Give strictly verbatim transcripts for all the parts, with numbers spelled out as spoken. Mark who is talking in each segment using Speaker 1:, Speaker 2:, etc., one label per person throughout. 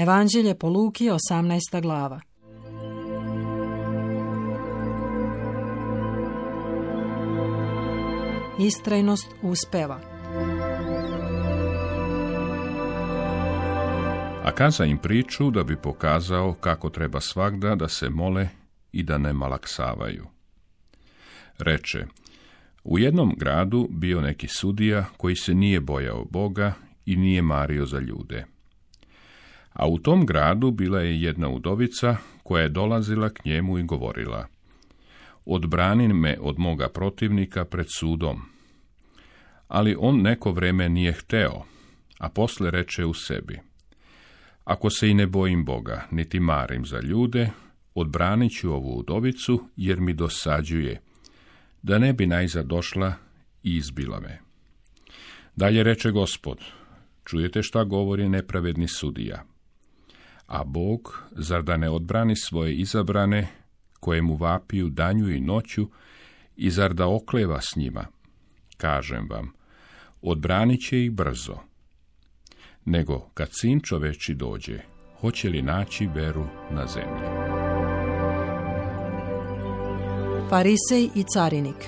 Speaker 1: Evanđelje po Luki, osamnaesta glava. Istrajnost uspeva.
Speaker 2: A kaza im priču da bi pokazao kako treba svagda da se mole i da ne malaksavaju. Reče, u jednom gradu bio neki sudija koji se nije bojao Boga i nije mario za ljude. A u tom gradu bila je jedna udovica koja je dolazila k njemu i govorila, odbrani me od moga protivnika pred sudom. Ali on neko vreme nije hteo, a posle reče u sebi, ako se i ne bojim Boga, niti marim za ljude, odbranit ću ovu udovicu, jer mi dosađuje, da ne bi najzad došla i izbila me. Dalje reče Gospod, čujete šta govori nepravedni sudija? A Bog, zar da ne odbrani svoje izabrane, koje mu vapiju danju i noću, i zar da okleva s njima? Kažem vam, odbranit će ih brzo. Nego, kad sin čoveči dođe, hoće li naći veru na zemlji?
Speaker 1: Farisej i carinik.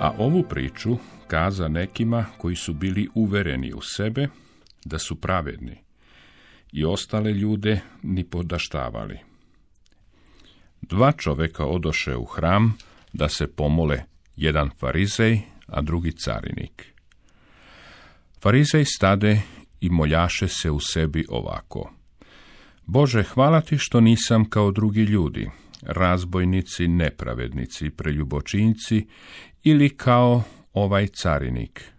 Speaker 2: A ovu priču kaza nekima koji su bili uvereni u sebe da su pravedni i ostale ljude ni podaštavali. Dva čoveka odoše u hram da se pomole, jedan farizej, a drugi carinik. Farizej stade i moljaše se u sebi ovako. Bože, hvala ti što nisam kao drugi ljudi, razbojnici, nepravednici, preljubočinci ili kao ovaj carinik.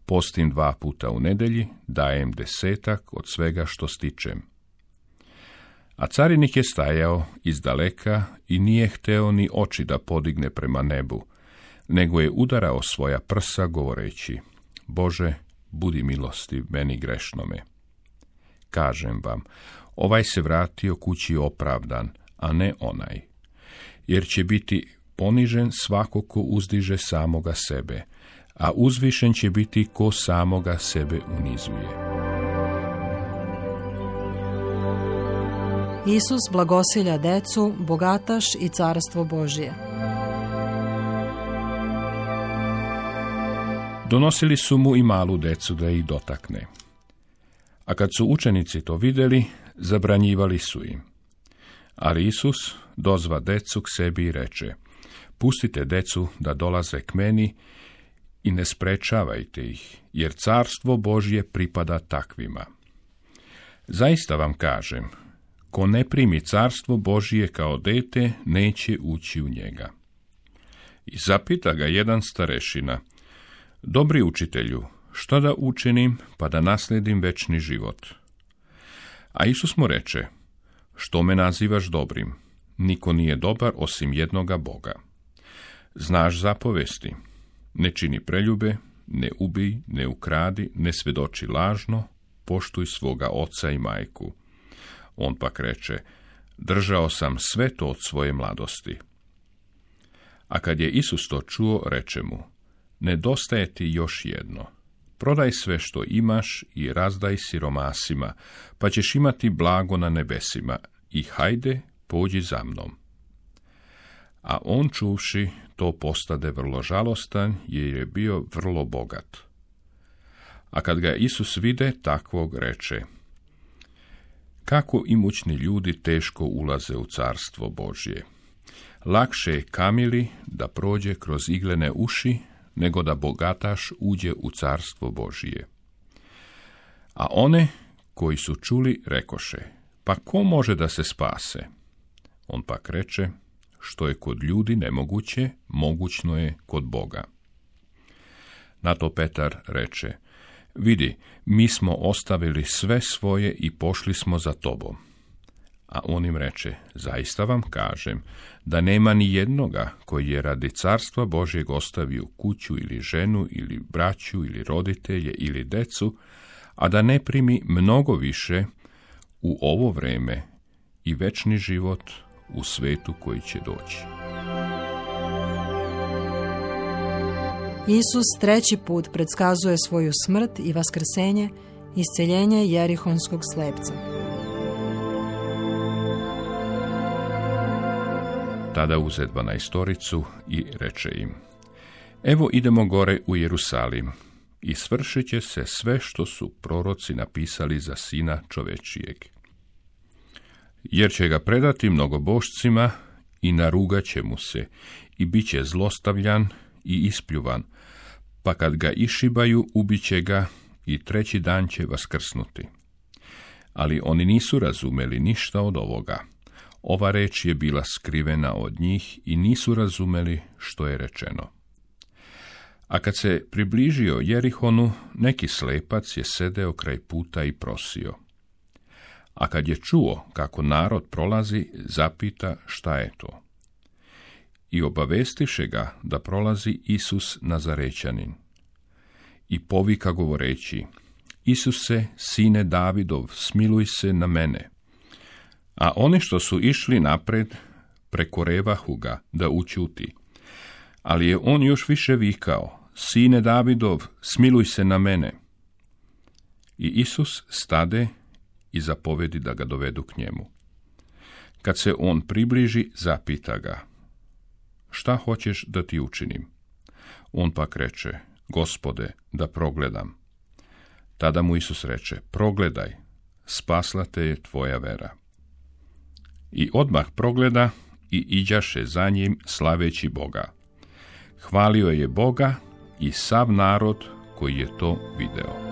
Speaker 2: Postim dva puta u nedelji, dajem desetak od svega što stičem. A carinik je stajao izdaleka i nije hteo ni oči da podigne prema nebu, nego je udarao svoja prsa govoreći, Bože, budi milostiv meni grešnome. Kažem vam, ovaj se vratio kući opravdan, a ne onaj, jer će biti ponižen svako ko uzdiže samoga sebe, a uzvišen će biti ko samoga sebe unizuje.
Speaker 1: Isus blagosilja decu, bogataš i carstvo Božje.
Speaker 2: Donosili su mu i malu decu da ih dotakne. A kad su učenici to vidjeli, zabranjivali su im. Ali Isus dozva decu k sebi i reče, pustite decu da dolaze k meni i ne sprečavajte ih, jer carstvo Božje pripada takvima. Zaista vam kažem, ko ne primi carstvo Božje kao dete, neće ući u njega. I zapita ga jedan starešina, dobri učitelju, što da učinim pa da naslijedim večni život? A Isus mu reče, što me nazivaš dobrim? Niko nije dobar osim jednoga Boga. Znaš zapovesti, ne čini preljube, ne ubij, ne ukradi, ne svedoči lažno, poštuj svoga oca i majku. On pak reče, držao sam sve to od svoje mladosti. A kad je Isus to čuo, reče mu, nedostaje ti još jedno. Prodaj sve što imaš i razdaj siromasima, pa ćeš imati blago na nebesima i hajde, pođi za mnom. A on čuvši, to postade vrlo žalostan, jer je bio vrlo bogat. A kad ga Isus vide, takvog reče, kako imućni ljudi teško ulaze u carstvo Božje. Lakše je kamili da prođe kroz iglene uši, nego da bogataš uđe u carstvo Božije. A one koji su čuli rekoše, pa ko može da se spase? On pak reče, što je kod ljudi nemoguće, mogućno je kod Boga. Na to Petar reče, vidi, mi smo ostavili sve svoje i pošli smo za tobom. A on im reče, zaista vam kažem, da nema ni jednoga koji je radi carstva Božjeg ostavio kuću ili ženu ili braću ili roditelje ili decu, a da ne primi mnogo više u ovo vreme i večni život u svetu koji će doći.
Speaker 1: Isus treći put predskazuje svoju smrt i vaskrsenje, isceljenje jerihonskog slepca.
Speaker 2: Tada uze dvanaestoricu i reče im: Evo idemo gore u Jerusalim i svršit će se sve što su proroci napisali za Sina čovečijeg. Jer će ga predati mnogobošcima i narugat će mu se i bit će zlostavljan i ispljuvan, pa kad ga išibaju, ubit će ga i treći dan će vaskrsnuti. Ali oni nisu razumeli ništa od ovoga. Ova reč je bila skrivena od njih i nisu razumeli što je rečeno. A kad se približio Jerihonu, neki slepac je sedeo kraj puta i prosio. A kad je čuo kako narod prolazi, zapita šta je to. I obavestiše ga da prolazi Isus Nazarećanin. I povika govoreći: Isuse, sine Davidov, smiluj se na mene. A oni što su išli napred, prekorevahu ga da ućuti. Ali je on još više vikao: Sine Davidov, smiluj se na mene. I Isus stade i zapovedi da ga dovedu k njemu. Kad se on približi, zapita ga: Šta hoćeš da ti učinim? On pak reče: Gospode, da progledam. Tada mu Isus reče: Progledaj, spasla te je tvoja vera. I odmah progleda i iđaše za njim slaveći Boga. Hvalio je Boga i sav narod koji je to video.